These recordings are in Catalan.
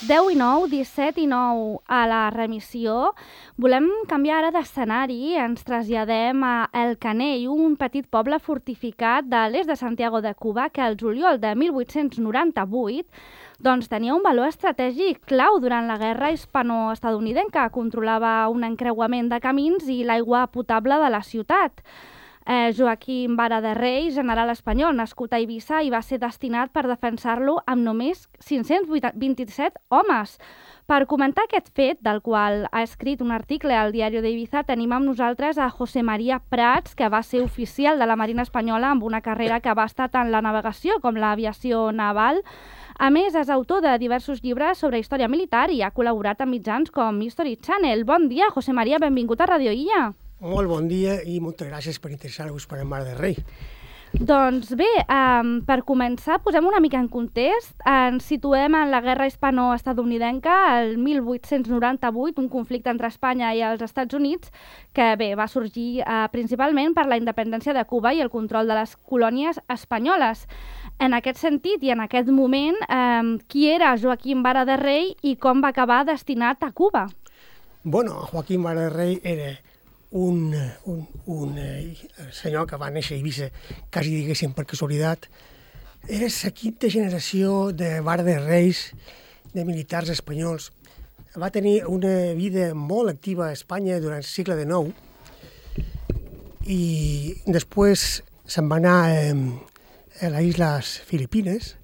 10 i 9, 17 i 9 a la remissió. Volem canviar ara d'escenari. Ens traslladem a El Canell, un petit poble fortificat de l'est de Santiago de Cuba que al juliol de 1898 tenia un valor estratègic clau durant la guerra hispano-estadounidenca. Controlava un encreuament de camins i l'aigua potable de la ciutat. Joaquim Vara de Rey, general espanyol nascut a Eivissa, i va ser destinat per defensar-lo amb només 527 homes. Per comentar aquest fet, del qual ha escrit un article al Diari d'Eivissa, tenim amb nosaltres a José María Prats, que va ser oficial de la Marina Espanyola amb una carrera que va estar tant la navegació com l'aviació naval. A més, és autor de diversos llibres sobre història militar i ha col·laborat amb mitjans com History Channel. Bon dia, José María, benvingut a Radio Illa. Molt bon dia i moltes gràcies per interessar-vos per el Mar de Rei. Doncs bé, per començar, posem una mica en context. Ens situem en la guerra hispano-estadounidenca, el 1898, un conflicte entre Espanya i els Estats Units, que va sorgir principalment per la independència de Cuba i el control de les colònies espanyoles. En aquest sentit i en aquest moment, qui era Joaquim Vara de Rey i com va acabar destinat a Cuba? Bueno, Joaquim Vara de Rey era un senyor que va néixer a Eivissa, quasi diguéssim per casualitat. Era la quinta generació de Vara de Reis, de militars espanyols. Va tenir una vida molt activa a Espanya durant el segle XIX i després se'n va anar a les Isles Filipines.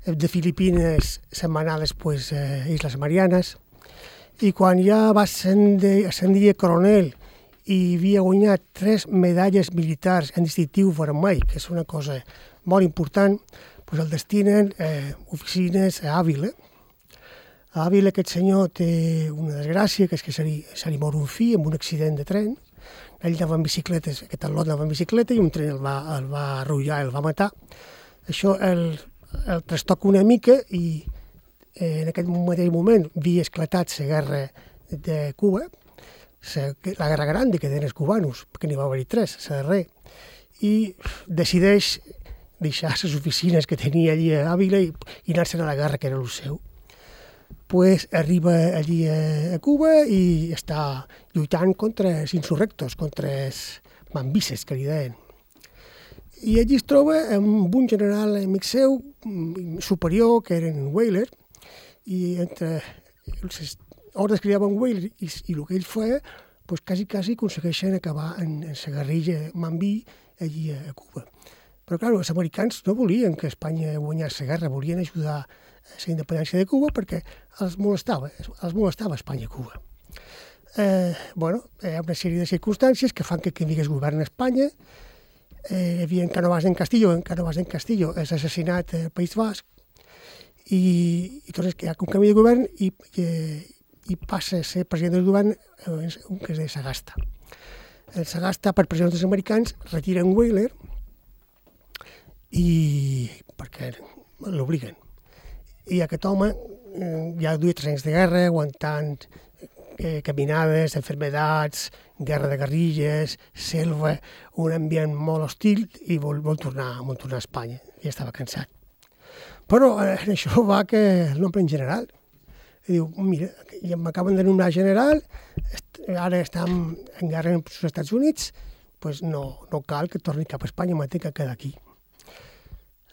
De Filipines se'n va anar després a Isles Marianes i quan ja va ascendir a coronel i havia guanyat 3 medalles militars en distintiu vermell, que és una cosa molt important, doncs el destinen oficines a Àvila. A Àvila aquest senyor té una desgràcia, que és que se li mor un fill amb un accident de tren. Ell anava en bicicleta, aquest al·lot anava en bicicleta i un tren el va arrollar, el va matar. Això el trastoca una mica i en aquest mateix moment havia esclatat la guerra de Cuba, la guerra grande que tenen els cubanos, perquè n'hi va haver-hi 3, la darrera, i decideix deixar les oficines que tenia allí a Àvila i anar-se'n a la guerra, que era el seu. Pues arriba allí a Cuba i està lluitant contra els insurrectos, contra els mambises, que li deien. I allí es troba amb un general amic seu, superior, que era en Weyler, i entre les ordres que li daven Weyler i el que ell feia, doncs quasi aconsegueixen acabar en la guerrilla mambí allí a Cuba. Però, clar, els americans no volien que Espanya guanyés la guerra, volien ajudar a la independència de Cuba perquè els molestava Espanya a Cuba. Hi ha una sèrie de circumstàncies que fan que canviés govern a Espanya. Hi havia en Cánovas del Castillo és assassinat al País Basc i doncs hi ha un canvi de govern i passa a ser president del govern un que és de Sagasta. El Sagasta, per pressió dels americans, retiren Weyler perquè l'obliguen. I aquest home ja duia 3 anys de guerra, aguantant caminades, enfermedats, guerra de guerrilles, selva, un ambient molt hostil i vol tornar a Espanya. Ja estava cansat. Però en això va que el nombre en general. I diu, mira, ja m'acaben de nombrar general, ara estem en guerra amb els Estats Units, doncs no cal que torni cap a Espanya, m'ha que quedar aquí.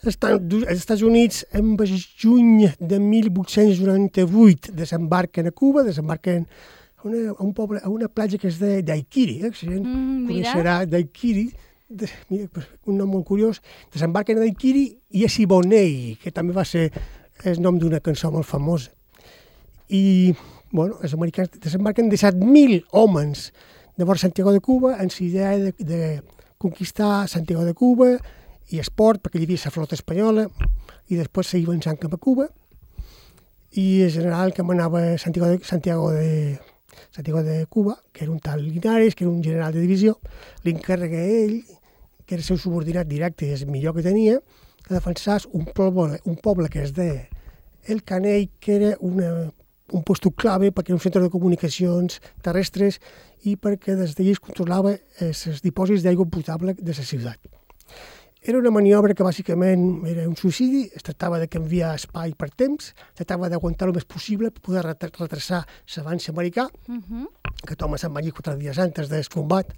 Els Estats Units, en juny de 1898, desembarquen a Cuba, desembarquen a una platja que és de Daiquiri, si coneixerà Daiquiri, un nom molt curiós, desembarquen a Daiquiri i a Siboney, que també va ser el nom d'una cançó molt famosa. I els americans desembarquen 17.000 homes de vora Santiago de Cuba amb la idea de conquistar Santiago de Cuba i esport, perquè hi havia la flota espanyola, i després s'hi avançant cap a Cuba. I el general que manava a Santiago de Cuba, que era un tal Linares, que era un general de divisió, li encarrega a ell, que era el seu subordinat directe i el millor que tenia, que defensés un poble que es deia El Canell, que era un lloc clave perquè era un centre de comunicacions terrestres i perquè des d'allí es controlava els dipòsits d'aigua potable de la ciutat. Era una maniobra que bàsicament era un suïcidi, es tractava de canviar espai per temps, tractava d'aguantar el més possible per poder retrasar l'avanç americà, que Thomas se'n va allí 4 dies antes del combat,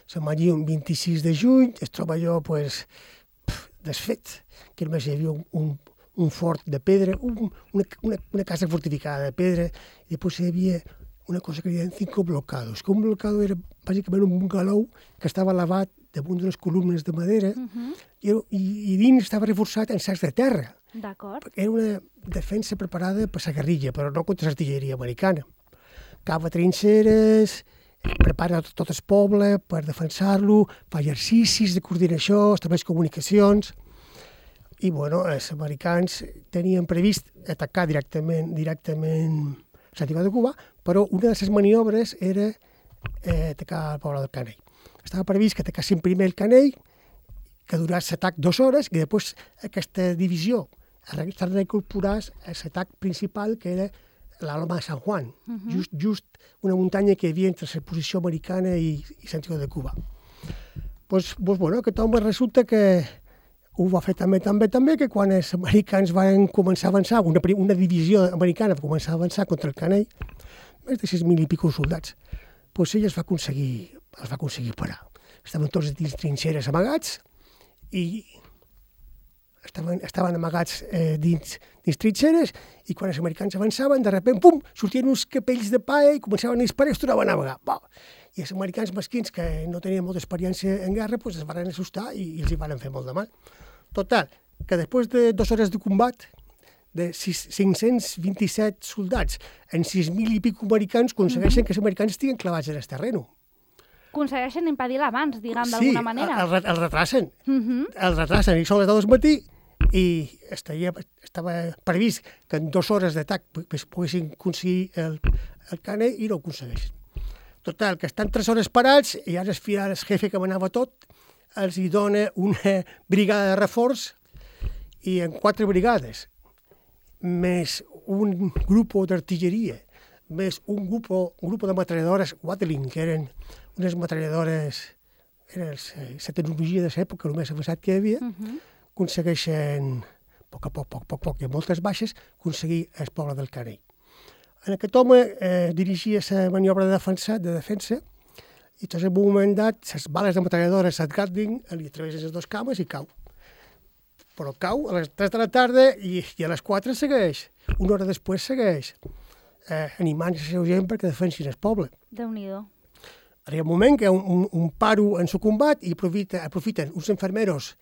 se'n va allí un 26 de juny, es troba allò desfet, que només hi havia un fort de pedra, una casa fortificada de pedra, i després hi havia una cosa que deien 5 blocados, que un blocado era bàsicament un bungalou que estava elevat damunt d'unes columnes de madera i dins estava reforçat en sacs de terra. D'acord. Era una defensa preparada per la guerrilla, però no contra l'artilleria americana. Cava trinxeres, prepara tot el poble per defensar-lo, fa exercicis de coordinació, estableix comunicacions, i els americans tenien previst atacar directament Santiago de Cuba, però una de les maniobres era atacar el poble del Canell. Estava previst que atacassin primer el Canell, que durés l'atac 2 hores, i després aquesta divisió s'ha d'incorporar a l'atac principal, que era l'Alma de San Juan, just una muntanya que hi havia entre la posició americana i Santiago de Cuba. Aquest home resulta que ho va fer també, que quan els americans van començar a avançar, una divisió americana va començar a avançar contra el Canell, més de 6.000 i pico soldats, ell els va aconseguir parar. Estaven tots dins trinxeres amagats i estaven amagats dins trinxeres, i quan els americans avançaven, de sobte, pum, sortien uns capells de paia i començaven a disparar i es tornaven a amagar. I els americans mesquins, que no tenien molta experiència en guerra, es van assustar i els hi van fer molt de mal. Total, que després de 2 hores de combat, de 527 soldats en 6.000 i pico americans, aconsegueixen que els americans estiguen clavats en el terreny. Aconsegueixen impedir l'avanç, d'alguna manera. Sí, el retrasen. El retrasen, i són les 2 del matí, i estava previst que en 2 hores d'atac poguessin aconseguir el Canell i no ho aconsegueixen. Total, que estan 3 hores parats i ara el jefe que manava tot els hi dona una brigada de reforç, i en 4 brigades, més un grup d'artilleria, més un grup de metralladores Watling, que eren unes metralladores, era la tecnologia de l'època, el més avançat que hi havia, aconsegueixen, a poc, i amb moltes baixes, aconseguir el poble del Canell. En aquest home dirigia la maniobra de defensa, i tot en un moment dat, les bales de metralladores, el Gatling, li travessen les 2 cames i cau. Però cau a les 3 de la tarda i a les 4 segueix. Una hora després segueix, animant la seva gent perquè defensin el poble. Déu-n'hi-do. Arriba un moment que hi ha un paro en el combat i aprofiten uns infermeros,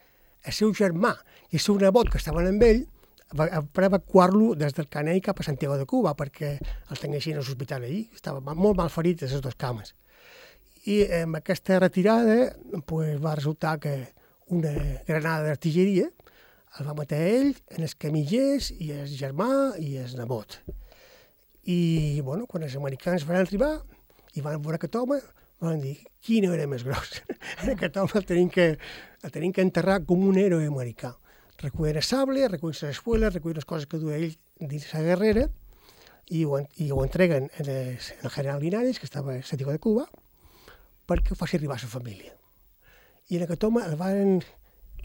el seu germà i el seu nebot que estaven amb ell, per evacuar-lo des del Canell cap a Santiago de Cuba, perquè el tinguessin a l'hospital allí. Estava molt mal ferit a les 2 cames. I amb aquesta retirada va resultar que una granada d'artilleria el va matar ell, en els camillers, i el germà i el nebot. I quan els americans van arribar i van veure aquest home, van dir, qui no era més gros? Aquest home el tenim que enterrar com un héroe americà. Recullen el sable, recullen les espueles, recullen les coses que duia ell dins la guerrera, i ho entreguen al general Linares, que estava a Santiago de Cuba, perquè ho faci arribar a la família. I en aquest home el van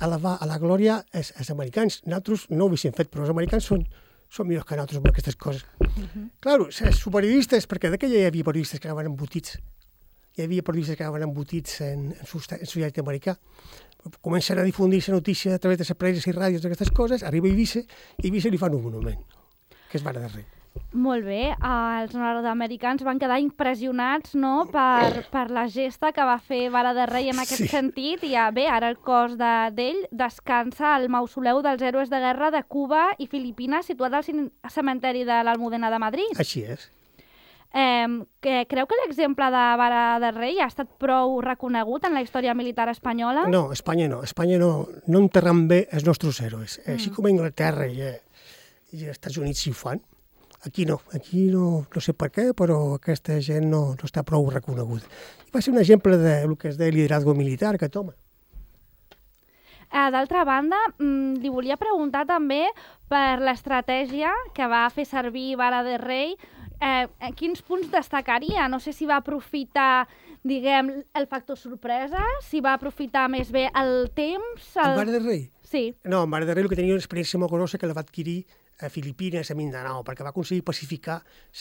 elevar a la glòria els americans. Nosaltres no ho havíem fet, però els americans són millors que nosaltres amb aquestes coses. Claro, els periodistes, perquè d'aquella hi havia periodistes que anaven embotits, en societat americà. Comencen a difundir la notícia a través de les preses i ràdios d'aquestes coses, arriba a Eivissa, i Eivissa li fan un monument, que és Vara de Rei. Molt bé, els nord-americans van quedar impressionats, no?, per la gesta que va fer Vara de Rei en aquest sentit, i ara el cos d'ell descansa al mausoleu dels héroes de guerra de Cuba i Filipines, situat al cementeri de l'Almudena de Madrid. Així és. Creu que l'exemple de Vara de Rei ha estat prou reconegut en la història militar espanyola? No, Espanya no enterren bé els nostres héroes. Així com a Anglaterra i als Estats Units s'hi fan. Aquí no sé per què, però aquesta gent no està prou reconeguda. Va ser un exemple del que es deia liderazgo militar, aquest home. D'altra banda, li volia preguntar també per l'estratègia que va fer servir Vara de Rei quins punts destacaria? No sé si va aprofitar, diguem, el factor sorpresa, si va aprofitar més bé el temps... El Mare del Rei? Sí. No, el Mare del Rei el que tenia una experiència molt grossa que la va adquirir a Filipines, a Mindanao, perquè va aconseguir pacificar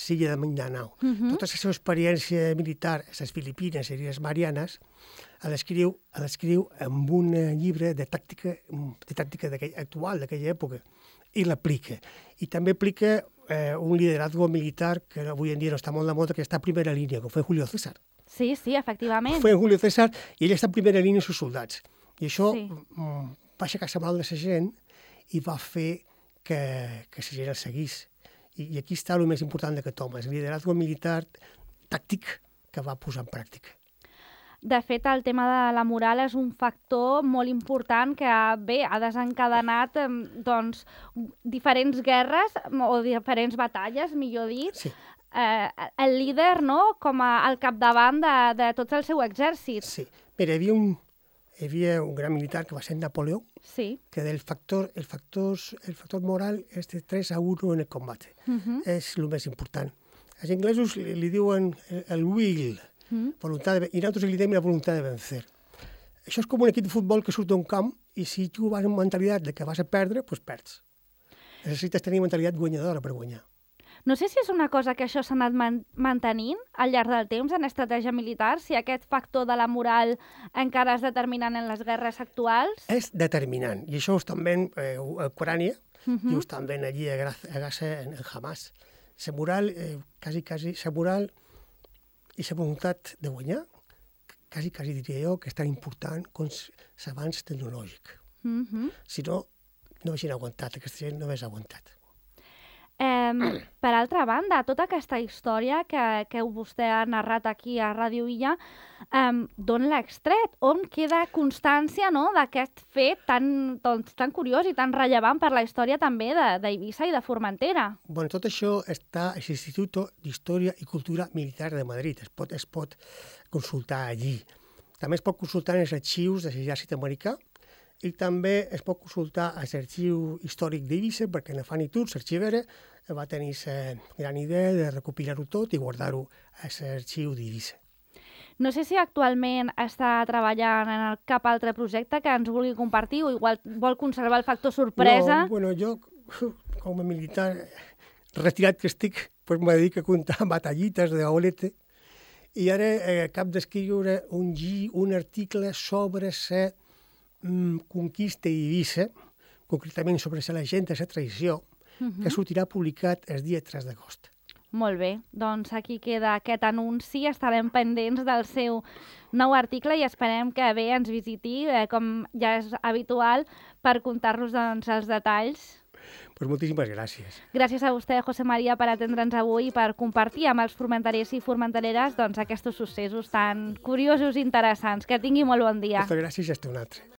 l'illa de Mindanao. Tota la seva experiència militar a les Filipines i les Marianes l'escriu en un llibre de tàctica actual d'aquella època i l'aplica. I també aplica un liderazgo militar que avui en dia no està molt de moda, que està a primera línia, com fue Julio César. Sí, efectivament. Fue Julio César i ell està a primera línia amb els soldats. I això va aixecar la moral de la gent i va fer que la gent el seguís. I aquí està el més important d'aquest home, el lideratge militar tàctic que va posar en pràctica. De fet, el tema de la moral és un factor molt important que, ha desencadenat diferents guerres o diferents batalles, millor dit. Sí. El líder, no?, com al capdavant de tot el seu exèrcit. Sí. Mira, hi havia un gran militar que va ser Napoleó, que el factor moral és de 3-1 en el combat. És el més important. Els anglesos li diuen el will, voluntat i nosaltres li diem la voluntat de vencer. Això és com un equip de futbol que surt d'un camp i si tu vas amb mentalitat de que vas a perdre, doncs perds. Necessites tenir mentalitat guanyadora per guanyar. No sé si és una cosa que això s'ha anat mantenint al llarg del temps en estratègia militar, si aquest factor de la moral encara és determinant en les guerres actuals. És determinant, i això ho estan veient a Ucrània i ho estan veient allí a Gaza, en Hamas. La moral, quasi, la moral i la voluntat de guanyar, quasi diria jo que és tan important com l'avanç tecnològic. Si no, no haguessin aguantat, aquesta gent no hagués aguantat. Per altra banda, tota aquesta història que vostè ha narrat aquí a Ràdio Illa, d'on l'ha extret? On queda constància, no?, d'aquest fet tan curiós i tan rellevant per la història també d'Eivissa i de Formentera? Bueno, tot això està a l'Institut d'Història i Cultura Militar de Madrid. Es pot consultar allí. També es pot consultar en els arxius de l'exèrcit americà i també es pot consultar a l'arxiu històric d'Eivissa, perquè en Fanny Tour, l'arxivera, va tenir la gran idea de recopilar-ho tot i guardar-ho a l'arxiu d'Eivissa. No sé si actualment està treballant en cap altre projecte que ens vulgui compartir o igual vol conservar el factor sorpresa. No, bueno, jo, com a militar retirat que estic, pues me dedico a contar batallites d'Olete i ara acabo d'escriure un article sobre la conquista d'Eivissa, concretament sobre la legenda, la traïció, que sortirà publicat el dia 3 d'agost. Molt bé, doncs aquí queda aquest anunci, estarem pendents del seu nou article i esperem que bé ens visiti, com ja és habitual, per contar-nos els detalls. Pues moltíssimes gràcies. Gràcies a vostè, José María, per atendre'ns avui i per compartir amb els formenterers i formentereres aquests successos tan curiosos i interessants. Que tingui molt bon dia. Moltes gràcies i hasta un altre.